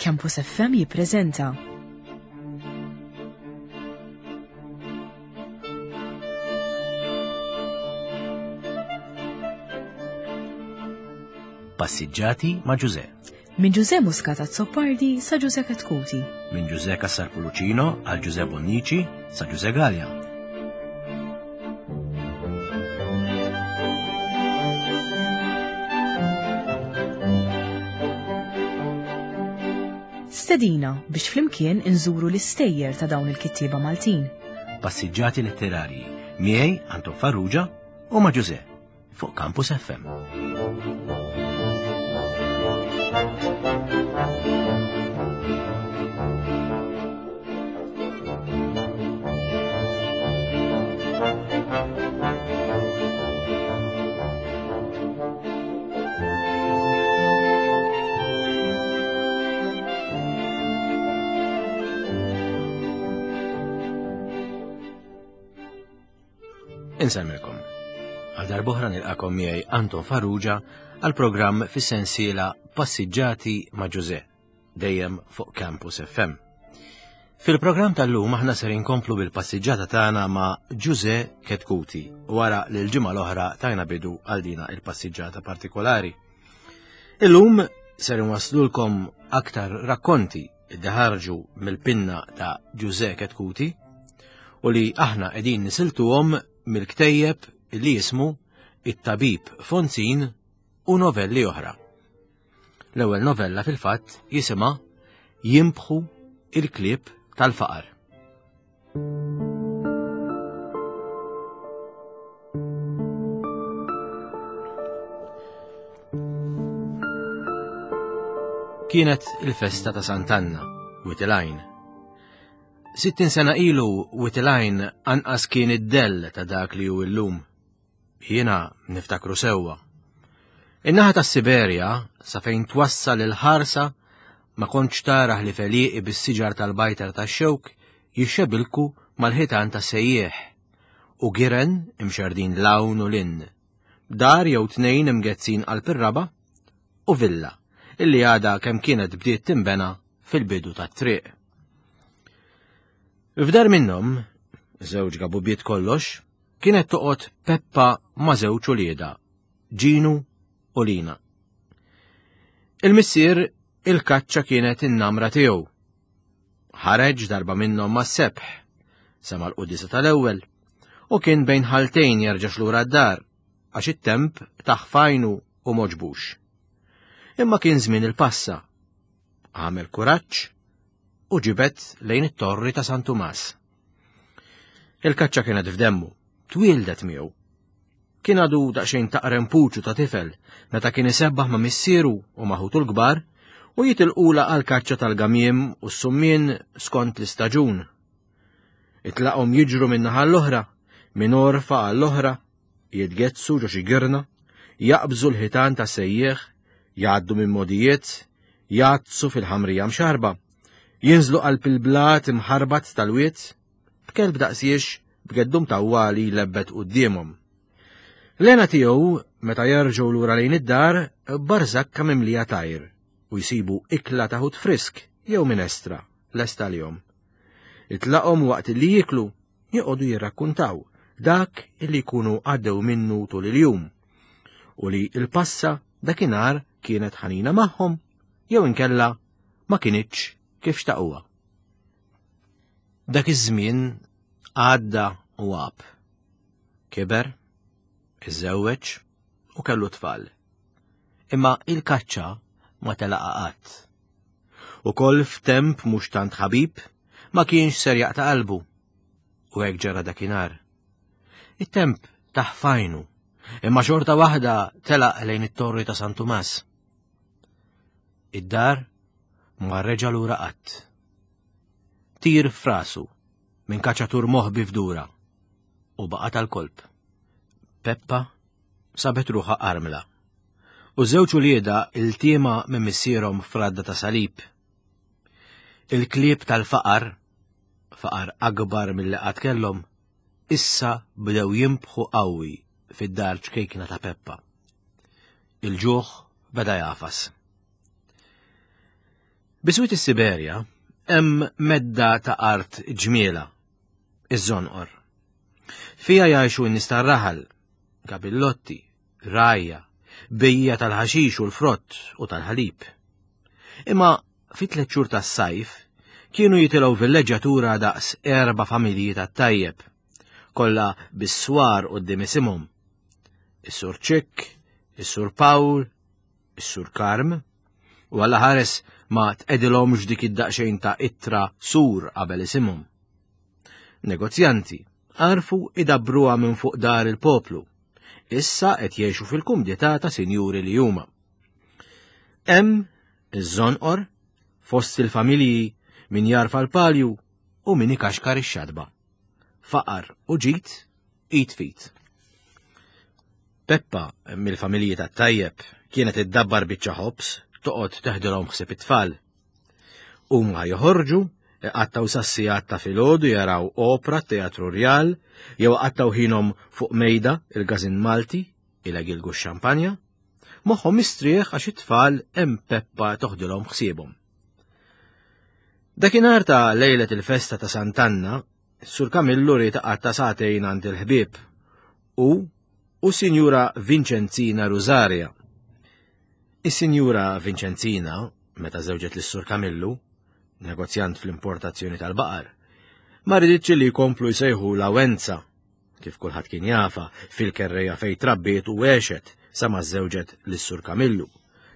Campus FM jippreżenta. Passiġġati ma' Ġuże. Minn Ġuże Muscat Azzopardi sa Ġuże Katkuti. Minn Ġuże Cassar Pulucino għal Ġuże Bonnici sa Ġuże Gallia. Stedina biex flimkien inżuru l-istejjer ta' dawn il-kittieba Maltin. Passiġġati letterarji miegħi Anton Farrugia u ma' Ġuże fuq Campus FM. Insemmilkom. Għal darbohra nilqakom miegħi Anton Farrugia għal programm fis-sensiela Passiġġati ma' Ġuże, dejjem fuq Campus FM. Fil-programm tal-lum aħna ser inkomplu bil-passiġġata tagħna ma' Ġuże Ketkuti wara li l-ġimgħa l-oħra tajna bidu għal dina il-passiġġata partikolari. Illum ser inwaslulkom aktar rakkonti li ħarġu mill-pinna ta' Ġuże Ketkuti u li aħna qegħdin nisiltuhom mill-ktejjeb li jismu It-Tabib Fonzin u novelli oħra. L-ewwel novella fil-fatt jisimha Jimbħu il-klieb tal-faqar. Kienet il-festa ta' Sant'Anna, Witilajn. 60 sena ilu Witilajn anqas kien id-dell ta' dak li hu illum. Jiena niftakru sewwa. In-naħa tas-Siberja, sa fejn twassal il-ħarsa, ma kontx tara ħlief għelieqi bis-siġar tal-bajtar tax-xewk jixxebilku mal-ħitan tas-sejjieħ u giren imxerrdin 'l hawn u 'l hinn, dar jew tnejn imgezzin qalb ir-raba' u villa illi għadha kemm kienet bdiet tinbena fil-bidu tat-triq. F'dar minnhom, żewġ gabubiet kollox, Kienet toqgħod Peppa ma' żewġ uliedha, Ġinu u Lina. Il-missier il-kaċċa kienet in-namra tiegħu. Ħareġ darba minnhom mas-sebħ, sema' l-quddiesa tal-ewwel, u kien bejn ħaltejn jerġax lura d-dar għax it-temp taħ f'għajnu u m'għoġbux. Imma kien żmien il-passa. Għamel kuraġġ u ġibed lejn it-torri ta' San Tumas. Il-kaċċa kienet f'demmu, twieldet miegħu. Kien għadu daqsxejn taqrem puċu ta' tifel meta kien isebbaħ ma' missieru u ma' ħutu l-kbar u jitilqula għal kaċċa tal-gamiem u s-summien skont l-istaġun. Itlaqhom jiġru minn naħa l-oħra, minn orfa għall-oħra, jitgezzu ġo xi girna, jaqbżu l-ħitan ta' sejjieħ, jgħaddu minn modijiet, jgħaddsu fil-ħamrija mxarba. Jinżlu qalb il-blat imħarbat tal-wied, b'kelb daqsiex b'geddum tawwali jlebbet quddiemhom. L-hena tiegħu meta jerġgħu lura lejn id-dar barżakka mimlija tajr u jsibu ikla ta' ħut frisk jew minestra lesta għalihom. Itlaqhom waqt li jieklu joqogħdu jirrakkuntaw dak li jkunu għaddew minnu tul il-jum u li l-passa dakinhar kienet ħanina magħhom jew inkella ma kinitx kif xtaquha. Dak iż-żmien għadda u għab. Kiber, iżżewweġ u kellu tfal. Imma il-kaċċa ma telaqa qatt. Ukoll f'temp mhux tant ħabib ma kienx ser jaqta' qalbu. U hekk ġara dakinhar. It-temp taħfajnu, imma xorta waħda telaq lejn it-torri ta' San Tumas. Id-dar ma reġa' lura qatt. Tir frasu minn kaċatur moħbi f'dura u baqa' tal-kolb. Peppa sabet ruħha armla. U żewġ ulieda iltiema minn missierhom f'radda ta' salib. Il-klieb tal-faqar, faqar akbar milli qatt kellhom, issa bdew jimbħu qawwi fid-dar ċkejkna ta' Peppa. Il-ġuħ beda jagħfas. Biswit is-Siberja hemm medda ta' art ġmiela, iż-żonqor. Fiha jgħixu n-nies tar-raħal, gabillotti, rgħajja, bejjiegħa tal-ħaxix u l-frott u tal-ħalib. Imma fit-tlet xhur tas-sajf kienu jitilgħu villeġġjatura daqs erba' familji tat-tajjeb, kollha bis-swar quddiem isimhom. Is-Sur Ċikk, is-Sur Pawl, is-Sur Karm, u Alla ħares ma tqegħdilhomx dik id-daqsxejn ta' ittra sur qabel isimhom. Negozjanti għarfu idabbruha minn fuq dar il-poplu. Issa qed jgħixu fil-kumdità ta' sinjuri li huma. Hemm iż-żonqor fost il-familji min jarfa l-palju u min ikaxkar ix-xatba. Faqar u ġid id fit. Peppa mill-familji tat-tajjeb kienet iddabbar biċċa ħobż toqgħod teħdilhom ħsieb it-tfal. Huma joħorġu, iqattgħu sas-sigħat ta' filgħodu jaraw opra t-Teatru Rjal jew iqattgħu ħinhom fuq mejda il-Każin Malti ilegilgu x-xampanja. Moħħhom mistrieħ għax it-tfal hemm Peppa toħdilhom ħsiebhom. Dakinhar ta' lejlet il-festa ta' Sant'Anna, Sur Kamillu ried iqatta' sagħtejn għand il-ħbieb u u Sinjura Vinċenzina Rusaria. Is-Sinjura Vinċenzina, meta żewġet lis-Sur Kamillu, negozjant fl-importazzjoni tal-baqar, ma riditx li jkomplu jsejħu la Wenza, kif kulħadd kien jafa, fil-kerreja fejn trabbiet u għexet sa ma żewġet lis-Sur Kamillu,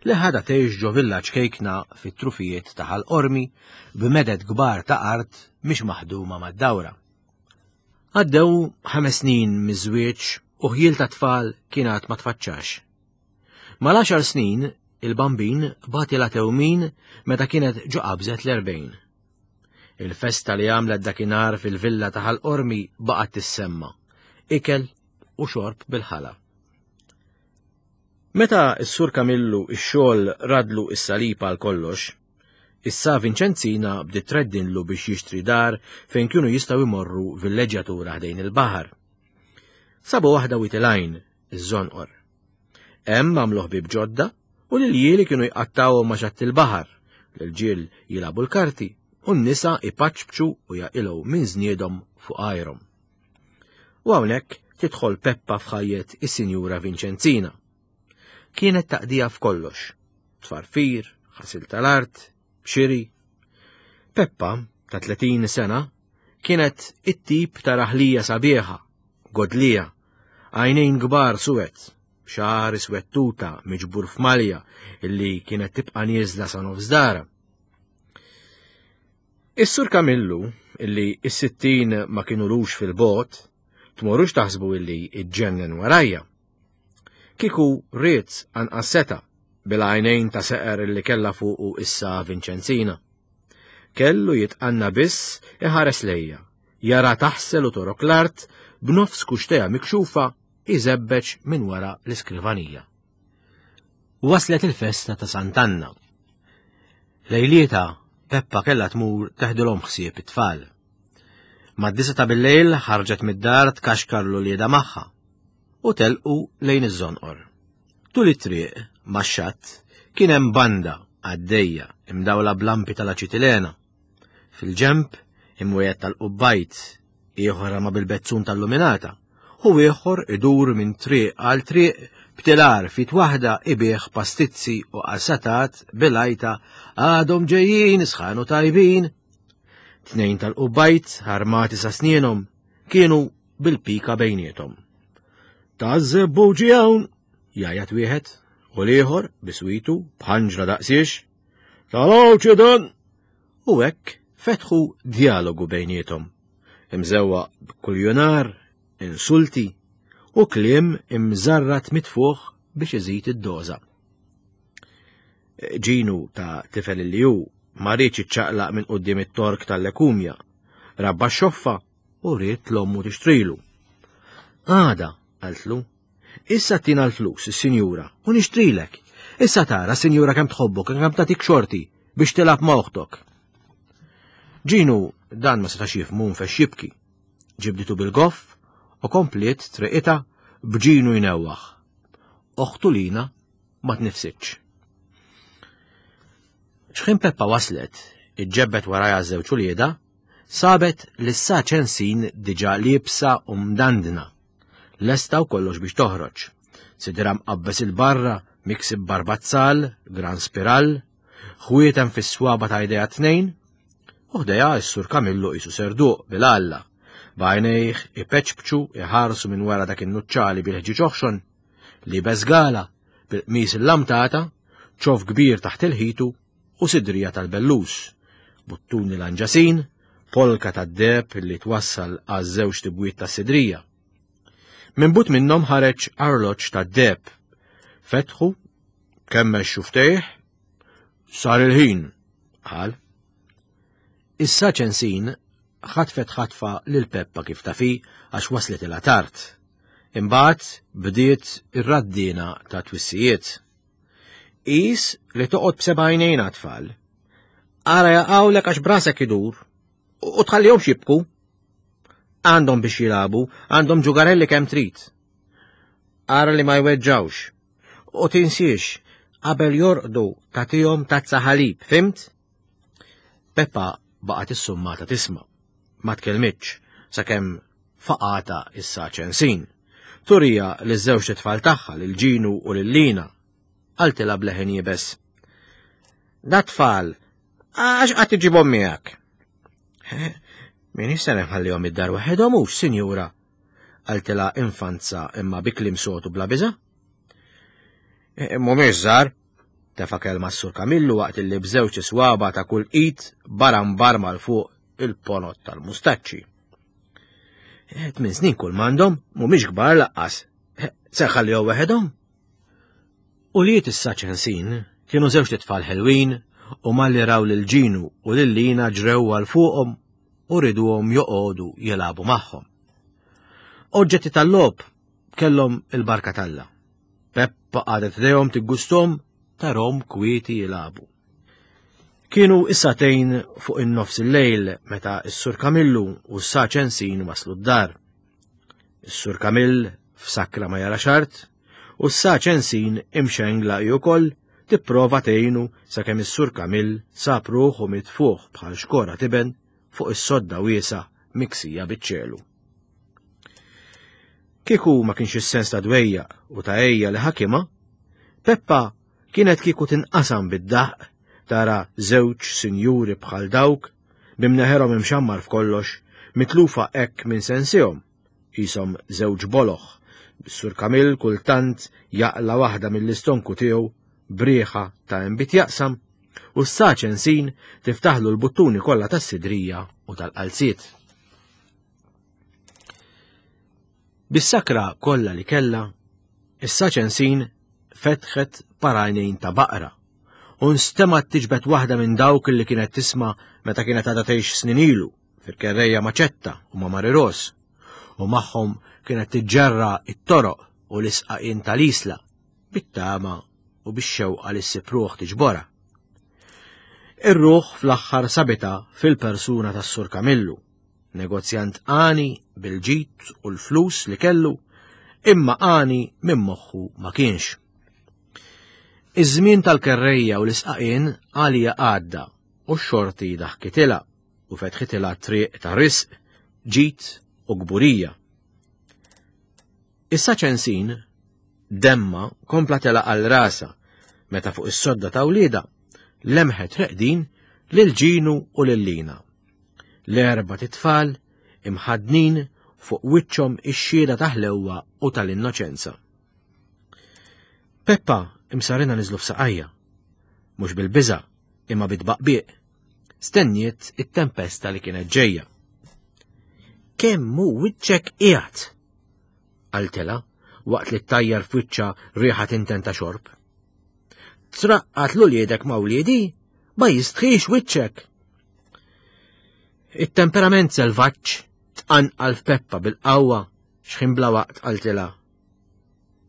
li ħadha tgħix ġo villa ċkejkna fit-trufijiet ta' Ħal Qormi b'meded kbar ta' art mhix maħduma mad-dawra. Għaddew ħames snin miż-żwieġ u ħjiel ta' tfal kien għad ma tfaċċax. Mal-għaxar snin, il-Bambin bagħtilha tewmin meta kienet ġo qabżet l-erbgħin. Il-festa li għamlet dakinhar fil-villa ta' Ħal Qormi baqgħet tissemma. Ikel u xorb bil-ħala. Meta s-Sur Kamillu x-xogħol radlu s-salib għal kollox, issa Vinċenzina bdiet treddinlu biex jixtri dar fejn kienu jistgħu jmorru villeġġjatura ħdejn il-baħar. Sabu waħda Wied il-Għajn, iż-Żonqor. Hemm għamlu ħbieb ġodda u l-iljieli kienu jqattgħuhom ma' xatt il-baħar, l-irġiel jilagħbu l-karti u n-nisa jpaċpċu u jaqilgħu minn żniedhom fuq għajrhom. U hawnhekk tidħol Peppa f'ħajjet is-Sinjura Vinċenzina. Kienet taqdija f'kollox, tfarfir, ħasil tal-art, xiri. Peppa, ta' 30 sena, kienet it-tip ta' raħlija sabiħa, godlija, għajnejn kbar suwed, xagħar iswed tuta miġbur f'malja illi kienet tibqa' nieżla sa nofs dara. Is-Sur Kamillu, illi is-60 ma kinulux fil-bogħod, tmorrux taħsbu illi iġġennen warajja. Kieku ried anqas seta' bil-għajnejn ta' seqer illi kellha fuqu issa Vinċenzina. Kellu jitqanna biss iħares lejja, jara taħsel u torok l-art b'nofs kuxteja mikxufa iżebbeġ minn wara l-iskrivanija. Waslet il-festa ta' Sant'Anna. Lejlieta, Peppa kellha tmur teħdilhom ħsieb it-tfal. Mad-disa ta' bil-lejl ħarġet mid-dar tkaxkar l-ulieda magħha u telqu lejn iż-żonqor. Tul it-triq, max-xatt, kien hemm banda għaddejja imdawla b'lampi tal-aċitilena. Fil-ġenb, imwiegħed tal-qubbajt, ieħor rama bil-bezzun tal-luminata, u ieħor idur minn triq għal triq b'tilar fit waħda ibigħ pastizzi u qasatat bil-għajta għadhom ġejjin sħanu tajbin. Tnejn tal-qubbajt armati sa snienhom kienu bil-pika bejniethom. Taż-żebbuġi hawn, jgħajjat wieħed, u l-ieħor biswitu b'ħanġra daqsiex. Tal-għawċi dan! U hekk fetħu djalogu bejniethom, imżewwaq b'kuljunar, insulti u kliem imżarrat mitfuħ biex iżid id-doża. Ġinu ta' tifel li hu ma riedx iċċaqlaq minn quddiem it-tork tal-lekumja, rabba x-xoffa u ried l-ommu tixtrilu. Għada, qaltlu, Issa tina l-flus, is-sinjura, u nixtrilek. Issa tara, sinjura, kemm tħobbok, kemm tagħtik xorti biex tilgħab ma' oħtok. Ġinu dan ma setax jifhmu nfex jibki. Ġibditu bil-goff u kompliet triqita b'Ġinu jnewwaħ. Oħtu Lina ma tnifsitx. xħin Peppa waslet, iġġebbet warajha żewġ uliedha, sabet li sa ċensin diġà liebsa u mdandna. Lesta u kollox biex toħroġ. Sidra mqabbes il-barra, miksib barbazzal, gran spiral, ħwietem fis-swaba ta' idea tnejn, u ħdejha s-sur Kamillu qisu serduq bil-alla, b'għajnejh ipeċpċu iħarsu minn wara dak in-nuċċali bil-ħġieġ oħxon, libes gala, bil-qmis il-lamtata, ċof kbir taħt il-ħitu u sidrija tal-bellus, buttuni lanġasin, polka tad-deheb li twassal għaż-żewġ tibwiet tas-sidrija. Minn but minnhom ħareġ arloġġ tad-deheb. Fetħu, kemmex xuftejh, sar il-ħin, qal. Issa ċensin ħatfet ħatfa lil Peppa kif tafi għax waslet ilha tard. Imbagħad bdiet ir-raddina ta' twissijiet. Qis li toqgħod b'seba' għajnejn għat-tfal. Ara jaqgħulek għax brasek idur u tħallihomx jibku. Għandhom biex jilagħbu, għandhom ġugarelli kemm trid. Ara li ma jweġġawx. U tinsiex, qabel jorqdu tagħtihom tazza ħalib, fimt? Peppa baqgħet issummata tisma'. Ma tkellmitx sakemm faqata issa ċensin. Turija li żewġ tfal tagħha lil Ġinu u lil Lina. Qaltilha bleħen jibes. Da tfal, għax qatt iġibhom miegħek. Min se nħallihom id-dar waħedhom hux, sinjura, qaltilha infanza imma bi kliem sotu bla biża'. E, mhumiex żgħar, tefa' kelma s-Sur Kamillu waqt li b'żewġ iswaba ta' kull id baram barma l fuq il-ponot tal-mustaċċi. E, tmien snin kull m'għandhom, mhumiex kbar laqqas. E, se ħallihom waħedhom? Ulied is-Saċensin kienu żewġt itfal ħelwin u malli raw lil Ġinu u lil Lina ġrew għal fuqhom u riduhom joqogħdu jilagħbu magħhom. Oġġetti tal-logħob kellhom il-barka t'Alla. Peppa qagħdet ħdejhom tiggusthom tarhom kwieti jilagħbu. Kienu is-sagħtejn fuq in-nofs il-lejl meta s-Sur Kamillu u s-Saċensin waslu d-dar. Is-Sur Kamill f'sakra ma jara xart u s-Saċensin imxengla hi wkoll tipprova tgħinu sakemm is-Sur Kamill sab ruħu mitfuħ bħal xkora tiben fuq is-sodda wiesgħa miksija biċ-ċelu. Kieku ma kienx is-sens ta' dwejjaq u ta' għejja li ħakimha, Peppa kienet kieku tinqasam bid-daħq tara żewġ sinjuri bħal dawk b'imneħerhom imxammar f'kollox, mitlufa hekk minn sensihom, qishom żewġ boloh, bis-Sur Kamil kultant jaqla' waħda mill-istonku tiegħu b'riħa ta' inbid jaqsam, u s-saċensin tiftaħlu l-buttuni kollha tas-sidrija u tal-qalziet. Bis-sakra kollha li kellha, is-saċensin fetħet parajnejn ta' baqra u nstemgħet tiġbed waħda minn dawk li kienet tisma' meta kienet għadha tgħix snin ilu fil-kerrejja ma' Ċetta u ma' Mari Ros u magħhom kienet tiġġerra it-toroq u l-isqaqien tal-isla bit-tama u bix-xewqa li ssib ruħ tiġborha. Ir-ruħ fl-aħħar sabitha fil-persuna tas-Sur Kamillu, negozjant għani bil-ġid u l-flus li kellu, imma għani minn moħħu ma kienx. Iż-żmien tal-kerrejja u l-isqaqien għalija għadda u x-xorti daħkitilha u fetħitilha triq ta' risq, ġid u kburija. Issa ċensin, demma kompla tela għal rasa meta fuq is-sodda ta' wlieda lemħet reqdin lil Ġinu u lil Lina. L-erba' titfal imħaddnin fuq wiċċhom ix-xhieda ta' ħlewwa u tal-innoċenza. Peppa imsarina niżlu f'saqajja, mhux bil-biża' imma bit-tbaqbiq. Stenniet it-tempesta li kienet ġejja. Kemm hu wiċċek qiegħed? qaltilha waqt li ttajjar f'wiċċha riħa tinten ta' xorb. Traqqat l-uliedek ma' wliedi? Ma jistħix wiċċek! It-temperament selvaġġ tqanqal f'Peppa bil-qawwa x'ħin bla waqt qaltilha.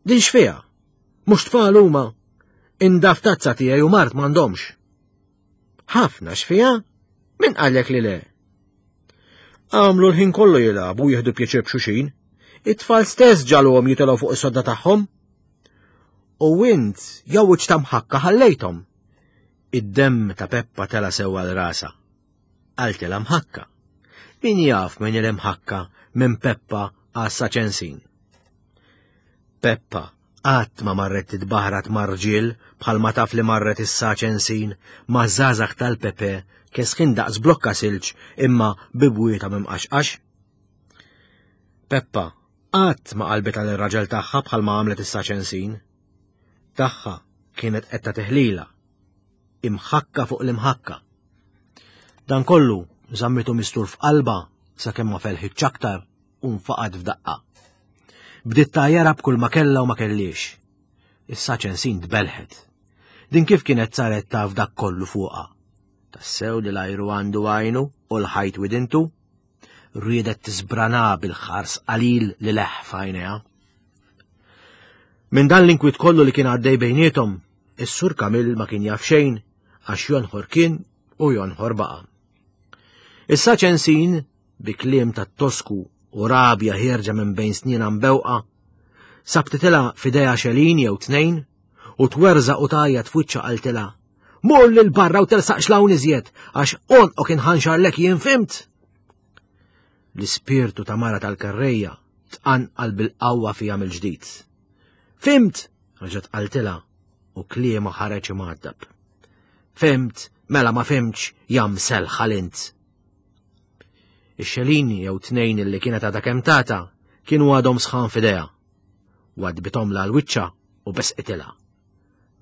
Din x'fiha? Mhux tfal huma. Indaf tazza tiegħi u mart m'għandhomx. Ħafna x'fiha? Min qallek li le? Għamlu l-ħin kollu jilagħbu jieħdu pjaċir b'xuxin. It-tfal stess ġaluhom jitilgħu fuq is-sodda tagħhom. U int jew wiċċ ta' mħakka ħallejthom. Id-demm ta' Peppa tela sew għal rasha. Qaltilha mħakka. Min jaf min il-imħakka minn Peppa għas Ċensin. Peppa qatt ma marret titbaħrat ma' rġiel bħal ma taf li marret issa Ċensin ma' żgħażagħ tal-Pepe kesħin daqs blokka silġ imma bibwieta mimqaxqax. Peppa qatt ma qalbet għal ir-raġel tagħha bħal ma għamlet issa Ċensin. Tagħha kienet qed tagħti ħlila imħakka fuq l-imħakka. Dan kollu żammitu mistur f'qalba sakemm ma felħitx aktar u nfaqad f'daqqa. Bdiet tgħajjarha b'kull ma kellha u ma kellix. Issa ċensin tbelħet. Din kif kienet saret taf dak kollu fuqha? Tassew li l-ajru għandu għajnu u l-ħajt widintu? Riedet tiżbrana bil-ħars qalil li leħ f'għajnejha. Minn dan l-inkwiet kollu li kien għaddej bejniethom, is-Sur Kamil ma kien jaf xejn għax jonħor kien u jonħor baqa'. Issa ċensin, bi kliem ta' tosku u rabja ħierġa minn bejn snina mbewqa, sabtitilha f'idejha xelin jew tnejn u twerżaq u tgħajjat f'wiċċha qaltilha Mur lil barra u tersaqx l-hawn iżjed, għax għonqok inħanxarlek jien fimt. L-ispirtu ta' mara tal-karrejja tqanqal bil-qawwa fija mill-ġdid. Fimt, reġgħet qaltilha u kliema ħareġ imgħaddab. Fimt, mela ma fimtx, jam selħal int. Ix-xelini jew tnejn li kienet għadha kemm tata kienu għadhom sħan f'idejha. Wadbithom l wiċċa u besqitilha.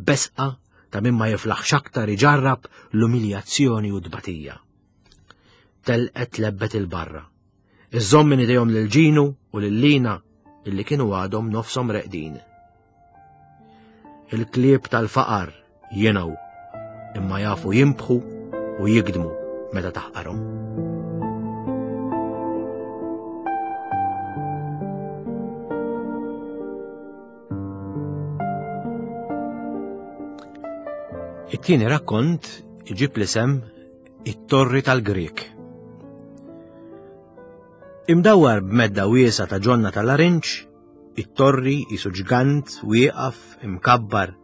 Besqa ta' min ma jiflaħx aktar iġarrab l-umiljazzjoni u tbatija. Telqet lebbet il-barra. Iżżomm minn idejhom lil Ġinu u lil Lina illi kienu għadhom nofshom reqdin. Il-klieb tal-faqar jingħu imma jafu jimbħu u jigdmu meta taħqarhom. It-tieni rakkont iġib l-isem It-Torri tal-Grieg. Imdawwar b'medda wiesa ta' ġonna tal-arinġ, it-torri jisu ġgant wieqaf imkabbar,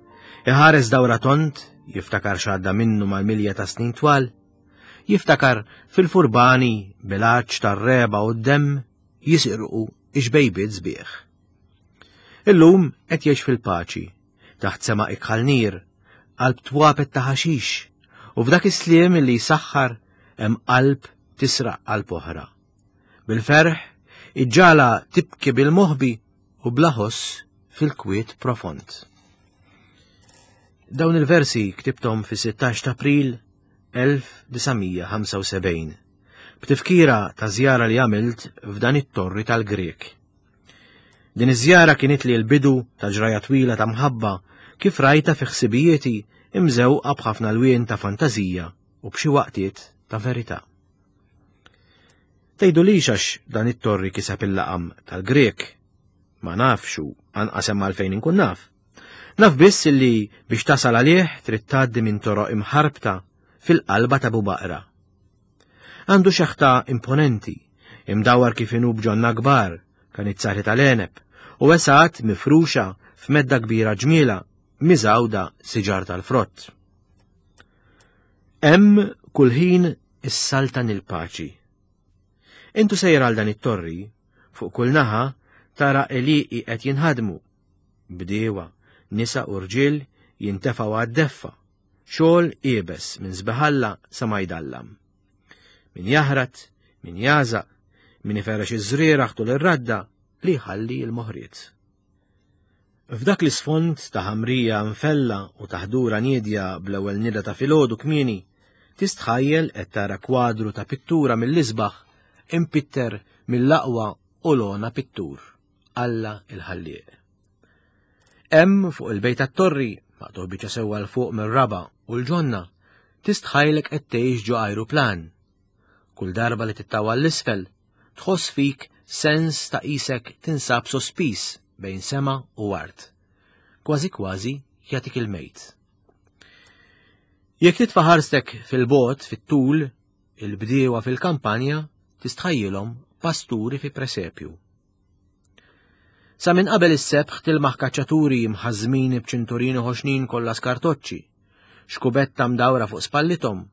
iħares dawra tont, jiftakar x'għadda minnu mal-milja ta' snin twal, jiftakar fil-furbani bil-għatx tar-reba u d-demm jisirqu ix-xbejbiet sbieħ. Illum qed jgħix fil-paċi, taħt sema ikħal nir, qalb twapet ta' ħaxix, u f'dak is-sliem li jsaħħar hemm qalb tisraq qalb oħra. Bil-ferħ, iġġala tibki bil-moħbi u bla ħoss fil-kwiet profond. Dawn il-versi ktibtom fi-16 ta' April 1975, b'tifkira ta' żjara li għamilt f'dan it-torri tal-Grek. Din iż-żjara kienet li l-bidu ta' ġraja twila ta' mħabba kif rajta fi ħsibijieti imżewqa b'ħafna lwien ta' fantażija u b'xi waqtiet ta' verità. Tgħidulix għax dan it-torri kiseb il-laqam tal-Grek. Ma nafx u anqas hemm għalfejn inkun naf. Naf biss li biex tasal għalih trid tgħaddi minn toroq imħarbta fil-qalba ta' Bubaqra. Għandu xeħta imponenti, imdawwar kif inhu b'ġonna kbar, kanizzati tal-għeneb, u wesgħat mifruxa f'medda kbira ġmiela miżgħuda siġar tal-frott. Hemm kull ħin issaltan il-paċi. Intu sejjer għal dan it-torri, fuq kull naħa tara għelieqi qed jinħadmu. Bdiewa, nisa u rġiel jintefgħu għad-deffa, Xogħol iebes minn sbeħalla sa ma jdallam. Min jaħrat, min jażaq, min iferrex iż-żrieragħ tul ir-radda li jħalli l-moħriet. F'dak l-isfond ta' ħamrija mfella u ta' ħdura niedja bl-ewwel nida ta' filgħodu kmieni, tistħajjel qed tara kwadru ta' pittura mill-isbaħ impitter mill-aqwa u l-ogħna pittur, Alla il-Ħallieq. Hemm fuq il-bejt tat-torri, maqtugħ biċċa sewwa 'l fuq mir-raba' u l-ġonna, tistħajlek qed tgħix ġo ajruplan. Kull darba li tittawal 'l isfel, tħoss fik sens ta' qisek tinsab sospiż bejn sema u art. Kważi kważi jagħtik il-mejt. Jekk titfa' ħarstek fil-bogħod fit-tul, il-bdiewa fil-kampanja tistħajjilhom pasturi fi presepju. Sa minn qabel is-sebħ tilmaħ kaċċaturi mħażżmin b'ċinturini ħoxnin kollha skartoċċi. xkubetta mdawra fuq spallithom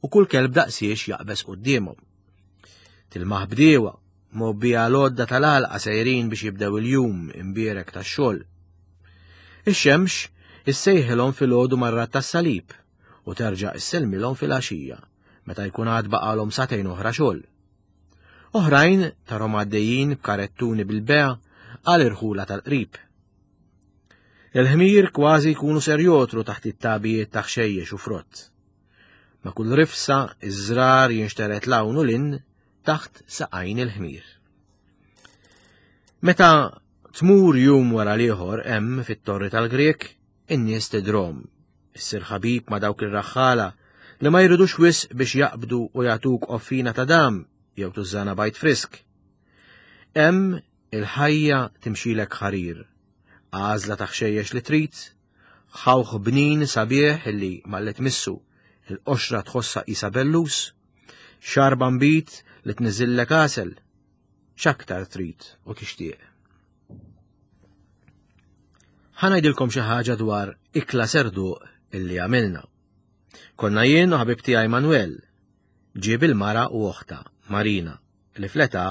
u kull kelb daqsiex jaqbeż quddiemhom. Tilmaħ bdiewa, mgħobbija l-għodda tal-għalqa sejrin biex jibdew il-jum imbierek tax-xogħol. Ix-xemx issejħilhom filgħodu marrat tas-salib u terġa' issellmilhom filgħaxija meta jkun għad baqalhom sagħtejn oħra xogħol. Oħrajn tarhom għaddejjin b'karettuni bil-bea għal irħula tal-qrib. Il-ħmir kważi jkunu ser jotru taħt it-tabijiet ta' ħxejjex u frott. Ma' kull rifsa iż-żrar jinxteret l-hawn u lin taħt saqajn il-ħmir. Meta tmur jum wara l-ieħor hemm fit-Torri tal-Grieg, in-nies tidrom, issir ħabib ma' dawk ir-raħħala li ma jridux wisq biex jaqbdu u jagħtuk offina ta' dam jew tużżana bajt frisk. Hemm il-ħajja timxilek ħarir, għażla ta' ħxejjex li trid, Ħawħ bnin sabiħ illi malli tmissu il-qoxra tħossha qisha bellus, xarba nbid li tniżillek għasel, x'aktar trid u tixtieq. Ħa ngħidilkom xi ħaġa dwar ikla serduq illi għamilna. Konna jien u ħabib tiegħi Manuel, ġieb il-mara u oħta, Marina, li fl-età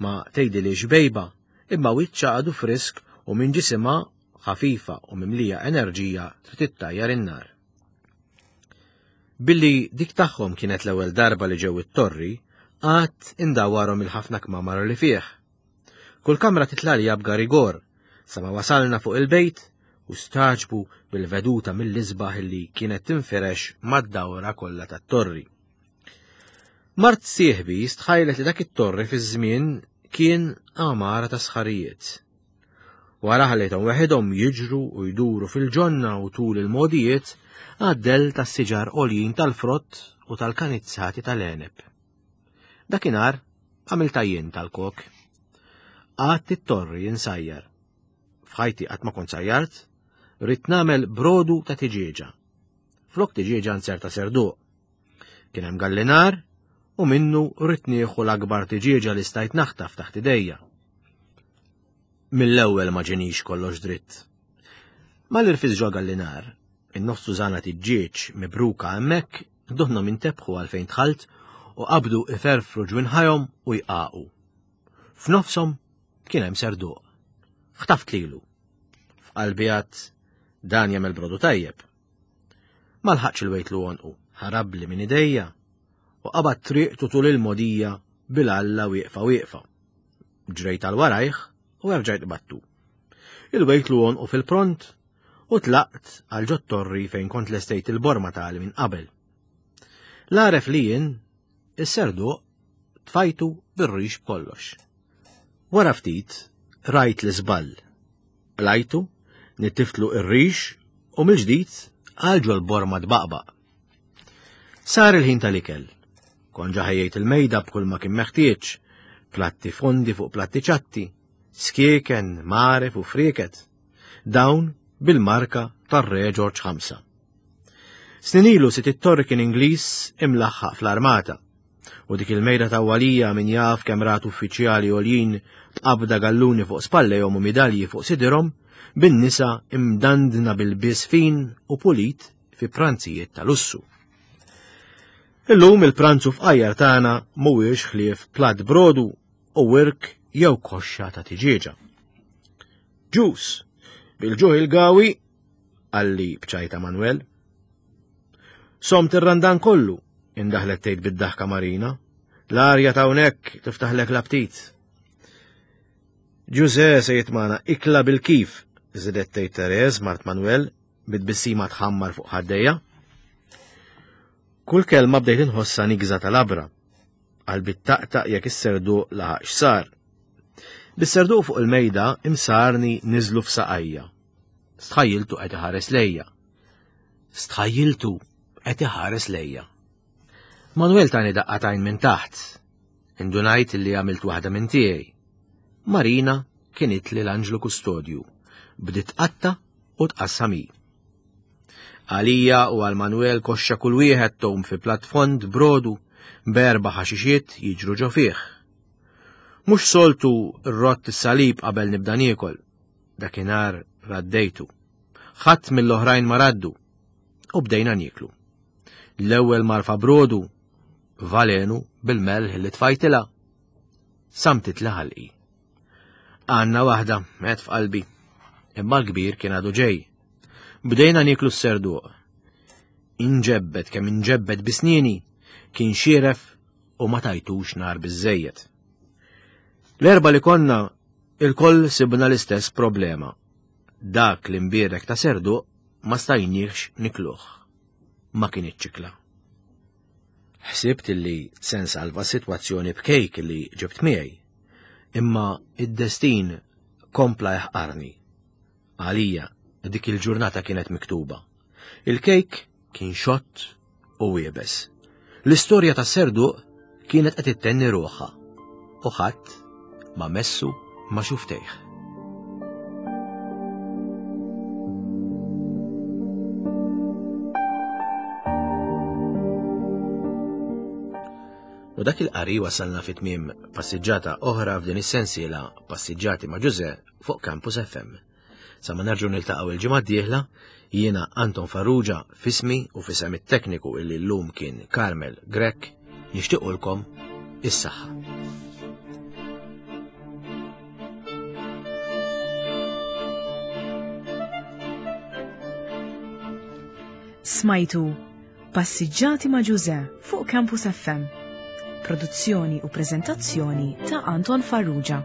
ma tgħidilix bejba, imma wiċċha għadu frisk u minn ġisimha ħafifa u mimlija enerġija trid ittajjar in-nar. Billi dik tagħhom kienet l-ewwel darba li ġew it-torri, qatt indawwarhom il-ħafna kmamar li fih. Kull kamra titla' b'garigor, sa ma wasalna fuq il-bejt u staġbu bil-veduta mill-isbaħ li kienet tinfirex mad-dawra kollha tat-torri. Mart sieħbi stħajlet li dak it-torri fiż-żmien kien għamara ta' sħarijiet. Wara ħallejthom weħidhom jiġru u jduru fil-ġonna u tul il-mogħdijiet għad-dell tas-siġar għoljin tal-frott u tal-kanizzati tal-għeneb. Dakinhar għamiltha jien tal-kok. Qgħadt it-torri insajjar. F'ħajti qatt ma kont sajjart, ridt nagħmel brodu ta' tiġieġa. Flok tiġieġa nzerta serduq. Kien hemm gallinar u minnu rrid nieħu l-akbar tiġieġa li stajt naħtaf taħt idejja. Mill-ewwel ma ġenix kollox dritt. Mal-irfis ġo gallinar, in-nofs tużana tiġġieġ mibruka hemmhekk, duħna minn tebħu għalfejn dħalt u qabdu iferfru ġwinħajhom u jqaqu. F'nofshom kien hemm serduq. Ħtaft lilu. F'qalbi għad dan jagħmel brodu tajjeb. Ma lħaqx il-wejtlu għonqu, ħarabli minn idejja u qabad triqtu tul il-mogħdija bil-alla wieqfa wieqfa. Ġrejt għal warajh u erġajt qbadtu. Il-wejtlu għonqu fil-pront u tlaqt għal ġot-torri fejn kont lestejt il-borma tali minn qabel. L-għaref li jien, is-serduq tfajtu bir-rix b'kollox. Wara ftit, rajt l-iżball. Qlajtu, nittiftlu ir-rix u mill-ġdid għal ġol-borma tbaqbaq. Sar il-ħin tal-ikel. Kont ġa ħejjejt il-mejda b'kull ma kien meħtieġ, platti fondi fuq platti ċatti, skieken, maref u frieket. Dawn bil-marka tar-Re Ġorġ 5. Snin ilu sit it-torri kien Ingliż imlaħħaq fl-armata. U dik il-mejda ta' walija min jaf kemm rat uffiċjali għoljin b'qabda galluni fuq spallejhom u midalji fuq sidirhom, bin-nisa imdandna bil-bies fin u pulit fi pranzijiet ta' lussu. Illum il-pranzu fqajjar tagħna mhuwiex ħlief platt brodu u wirk jew koxxa ta' tiġieġa. Ġus, bil-ġuħ il-gawi, qalli b'ċajta Manuel. Somt ir-randan kollu, indaħlet tgħid bid-daħka Marina. L-arja ta' hawnhekk tiftaħlek l-aptit. Ġuże se jitmana ikla bil-kif, żidet tgħid Tereż mart Manuel bit-tbissima tħammar fuq ħaddejja. Kull kelma bdejt inħossha nigża tal-abra. Qalbi taqtaq jekk is-serduq laħaq x'sar. Bis-serduq fuq il-mejda imsarni niżlu f'saqajja. Stħajjiltu qed iħares lejja. Stħajjiltu qed iħares lejja. Manuel tani daqqatajn minn taħt. Indunajt li għamilt waħda minn tiegħi. Marina kienet li l-anġlu kustodju. Bdiet tqatta u tqassam hi. Għalija u għal Manuel koxxa kull wieħed tom fi platt fond brodu b'erba' ħaxixiet jiġru ġo fih. Mhux soltu rrott is-salib qabel nibda niekol. Dakinhar raddejtu. Ħadd mill-oħrajn ma raddu. U bdejna nieklu. L-ewwel marfa brodu, valenu bil-melħ li tfajtilha. Samtit li ħalqi. Għanna waħda, għed f'qalbi. Imma l-kbir kien għadu ġej. Bdejna nieklu s-serduq. Inġebbed kemm inġebbed bisnini, kien xieref u ma tajtux nar biżejjed. L-erba li konna il-koll sibna l-istess problema. Dak li mbierek ta' serduq ma stajniex nikluh. Ma kien ċikla. Ħsibt li se nsalva s-sitwazzjoni b'kejk li ġibt miegħi. Imma id-destin kompla jaħqarni. Għalija, dik il-ġurnata kienet miktuba. Il-kejk kien xott u iebes. L-istorja ta' serduq kienet qed ittenni ruħha u ħadd ma messu ma xuftejh. U dak il-qari wasalna fit tmiem passiġġata oħra f'din is-sensiela Passiġġati ma' Ġuże fuq Campus FM. Sa ma nerġgħu niltaqgħu il-ġimgħa d-dieħla, jiena Anton Farrugia fismi u fisem it-tekniku illi llum kien Carmel Grech nixtiequlkom is-saħħa. Smajtu Passiġġati ma' Ġuże fuq Campus FM. Produzzjoni u preżentazzjoni ta' Anton Farrugia.